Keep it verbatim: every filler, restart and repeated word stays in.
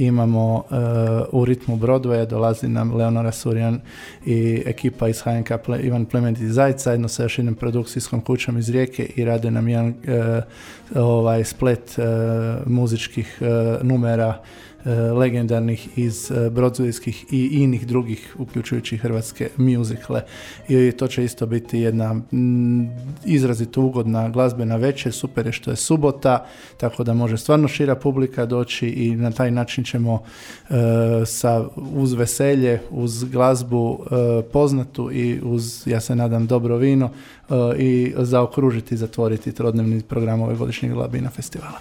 imamo uh, u ritmu Broadwaya, dolazi nam Leonora Surjan i ekipa iz H N K Ple, Ivan Plemeniti Zajca, jedno sa još jednom produkcijskom kućom iz Rijeke i rade nam jedan uh, ovaj splet uh, muzičkih uh, numera legendarnih iz broadwayskih i inih drugih, uključujući hrvatske mjuzikle. I to će isto biti jedna m, izrazito ugodna glazbena večer. Super je što je subota, tako da može stvarno šira publika doći i na taj način ćemo e, sa, uz veselje, uz glazbu e, poznatu i uz, ja se nadam, dobro vino e, i zaokružiti i zatvoriti trodnevni program ove godišnjeg Labina festivala.